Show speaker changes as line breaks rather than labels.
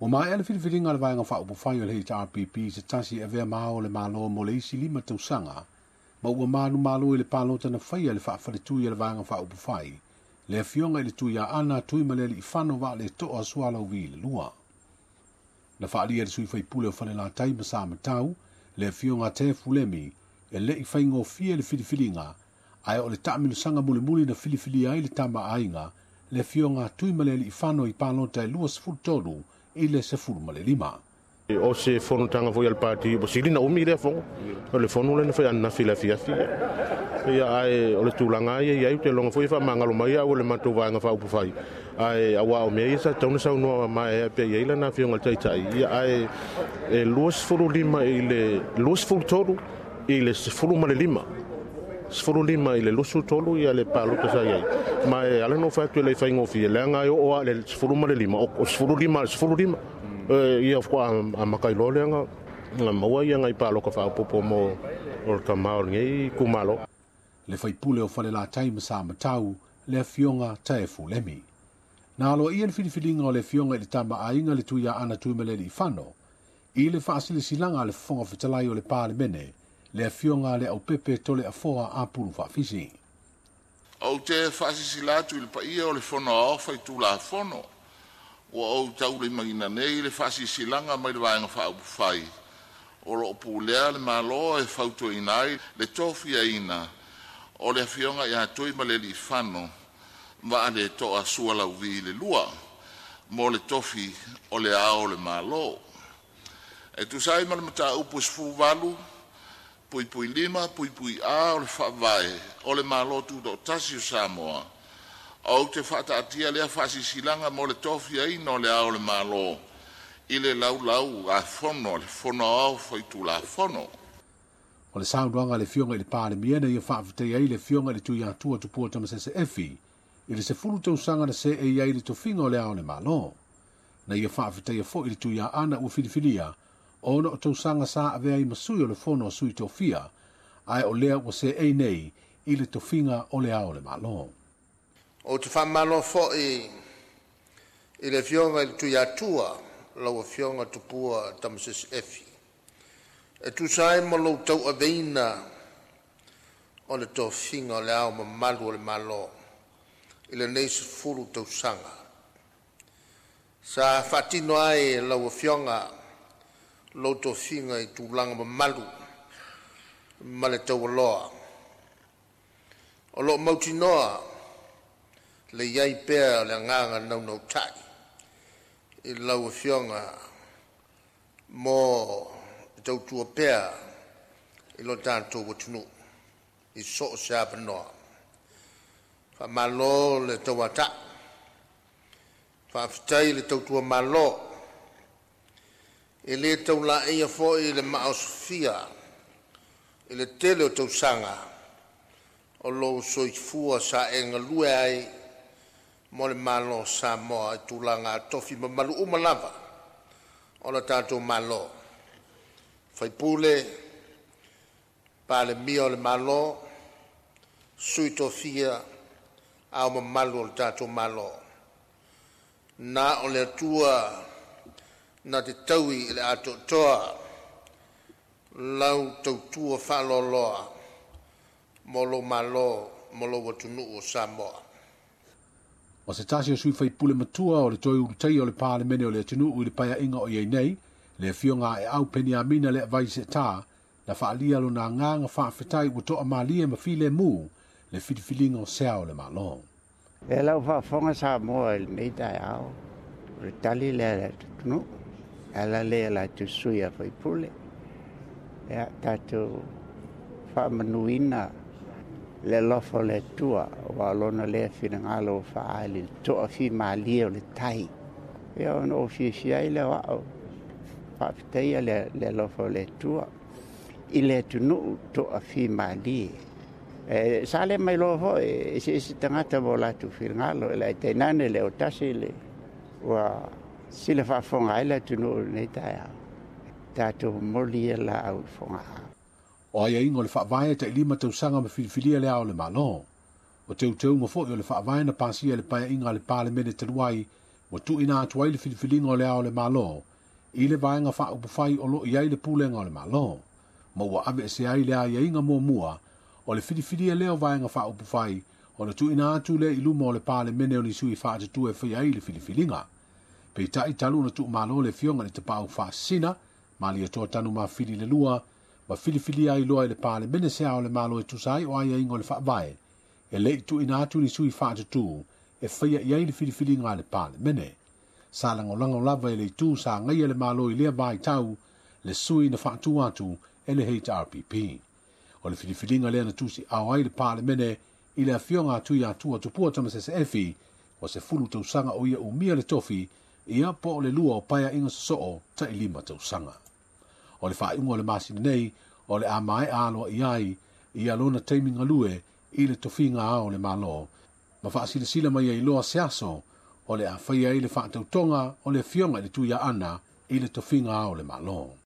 Ua maea le filifiliga a le Vaega Faaupufai o le HRPP i se tasi e avea ma Ao o le Malo mo le isi 5 tausaga, ma ua manumalo i le palota na faia e le faafaletui a le Vaega Faaupufai, le Afioga i le Tuiaana Tuimalealiifano Vaaletoa Sualauvi le lua. Na faaalia e le sui faipule o Falelatai ma Samatau, le Afioga Tefu Lemi, e le i faigofie le filifiliga, ae o le taamilosaga mulimuli na filifilia ai le tama a aiga, le Afioga Tuimalealiifano i palota e 23 i le 15.
O se fonotaga foi a le pati ua sili na umi lea fono. O le fono lea na fai ananafi i le afiafi. Ia ae o le tulaga ia i ai ou te iloga foi e faamagalo mai au e le matou vaega faaupufai. Ae aua o mea ia sa tatau ona saunoa maeaea pea i ai lana afioga i le Taitai. Ia ae e 25 i le 23 i le 15. 15 i le 23 ia le palota sa i ai. Ma e ala ona ou fai atu e le i faigofie, leaga e oo lava i le 15, o 15 i le 15. Ia faatoa amata ai loa lea ona maua ia nai palota faaopoopo mo le tama o lenei itumalo.
Le faipule o Falelatai ma Samatau, le Afioga Taefu Lemi. Na aloaia le filifiliga o le Afioga i le Tama a Aiga le Tuiaana Tuimalealiifano i le faasilasilaga a le Fofoga Fetalai o le Palemene, le Afioga a Leaupepe Toleafoa Apulu Faafisi.
Ou te faasilasila atu i le paia o le Fono Aoao Faitulafono ua ou taulimaina nei le Faasilasilaga mai le Vaega Faaupufai o lo o pulea le Malo e fautuaina ai le tofiaina o le Afioga ia Tuimalealiifano Vaaletoa Sualauvi II mo le tofi o Le Ao o le Malo. E tusa ai ma le Mataupu e 18(5)(A) o le Faavae o le Malo Tutoatasi o Samoa, ou te faataatia lea Faasilasilaga mo le tofiaina o Le Ao o le Malo i le Laulau-a-Fono a le Fono Aoao Faitulafono.
O le saunoaga a le Afioga i le Palemia na ia faafetaia ai le Afioga i le Tuiatua Tupua Tamasese Efi i le 10 tausaga na seei ai le tofiga o Le Ao o le Malo. Na ia faafetaia foi le Tuiaana ua filifilia ona o tausaga sa avea ai ma sui o le Fono a Sui Tofia, ae o lea ua seei nei i le tofiga o Le Ao o le Malo.
Ou te faamalo foi i le Afioga i le Tuiatua, lau Afioga Tupua Tamasese Efi, e tusa ai ma lou tauaveina o le tofiga o Le Ao Mamalu o le Malo i lenei 10 tausaga. Sa faatino ai e lau Afioga lou tofiga i tulaga mamalu ma le taualoa, o lo o mautinoa le i ai pea o le agaga naunautai i lau Afioga mo le tautua pea i lo tatou atunuu i so o se avanoa. Faamalo le tauatai, faafetai le tautua malo. E le tau laeia foi le maaosofia i le tele o tausaga o lou soifua sa e galue ai mo le Malo o Samoa i tulaga tofi mamalu uma lava o le tatou Malo, faipule, Palemia o le Malo, Sui Tofia, Ao Mamalu o le tatou Malo. Na o le Atua na te taui i le atoatoa lau tautua faaloaloa mo lou Malo ma lou atunuu o Samoa.
O se tasi o sui faipule matua o le toe ulutaia o le Palemene o le atunuu i le paeaiga o i ai nei, le Afioga a Aeau Peniamina Leavai Seeta, na faaalia lona agaga faafetai ua toamalie ma filemu le filifiliga o se Ao o le Malo.
E lau faafofoga Samoa i lenei taeao, o le tali lea a le atunuu, e ala lea i latou sui a faipule. Ia, tatou faamanuina le alofa o le Atua, aua o lona lea finagalo ua faaali i le toafimalie o le tai. Ia, ona ou fiafia ai lea o au, faafetaia le alofa o le Atua i le atunuu toafimalie. E, sa le mai loa foi, eseese tagata ma o latou finagalo, e le tainane le o tasi le ua sila faafofoga ai le atunuu i lenei taeao. Tatou momoli ia laau i Fogaa.
O aiaiga o le Faavae e tai 5 tausaga ma filifilia Le Ao o le Malo. O teuteuga foi o le Faavae na pasia i le paeaiga a le Palemene talu ai Ua tuuina atu ai le filifiliga o le Ao o le Malo i le Vaega Faaupufai o lo o i ai le Pulega o le Malo, ma ua aveesea ai le aiaiga muamua o le filifilia lea o Vaega Faaupufai ona tuuina atu lea i luma o le Palemene o ni sui faatutua e faia ai le filifiliga. Peitai talu ona tuumalo le Afioga i le Tapaau Faasisina, Malietoa Tanumafili le Lua, ma filifilia ai loa e le Palemene se Ao o le Malo e tusa ai o aiaiga o le Faavae, e le i tuuina atu ni sui faatutu e faia i ai le filifiliga a le Palemene. Sa lagolago lava e le itu sa agaia le Malo i lea vaitau le sui na faatu atu e le HRPP. O le filifiliga lea na tusiao ai le Palemene i le Afioga a Tuiatua Tupua Tamasese Efi, ua 10 tausaga o ia umia le tofi, ia po o le lua o paeaiga sosoo tai 5 tausaga. O le faaiuga o le masina nei, o le a maea aloa i ai ia lona taimi galue i le tofiga Ao o le Malo, ma faasilasila mai ai loa se aso o le a faia ai le faatautoga o le Afioga i le Tuiaana i le tofiga Ao o le Malo.